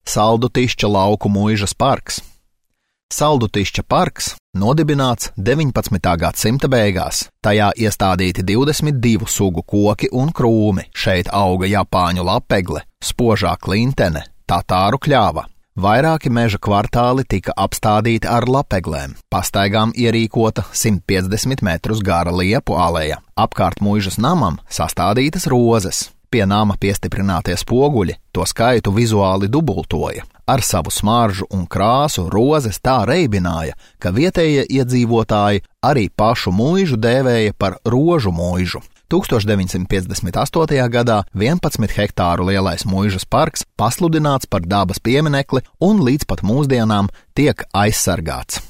Saldutišķa lauku muižas parks. Saldutišķa parks nodibināts 19. gadsimta beigās. Tajā iestādīti 22 sugu koki un krūmi. Šeit auga japāņu lapegle, spožā klintene, tatāru kļava. Vairāki meža kvartāli tika apstādīti ar lapeglēm. Pastaigām ierīkota 150 metrus gara liepu aleja. Apkārt muižas namam sastādītas rozes. Pie nama piestiprinātie spoguļi to skaitu vizuāli dubultoja. Ar savu smaržu un krāsu rozes tā reibināja, ka vietējie iedzīvotāji arī pašu muižu dēvēja par rožu muižu. 1958. gadā 11 hektāru lielais muižas parks pasludināts par dabas pieminekli un līdz pat mūsdienām tiek aizsargāts.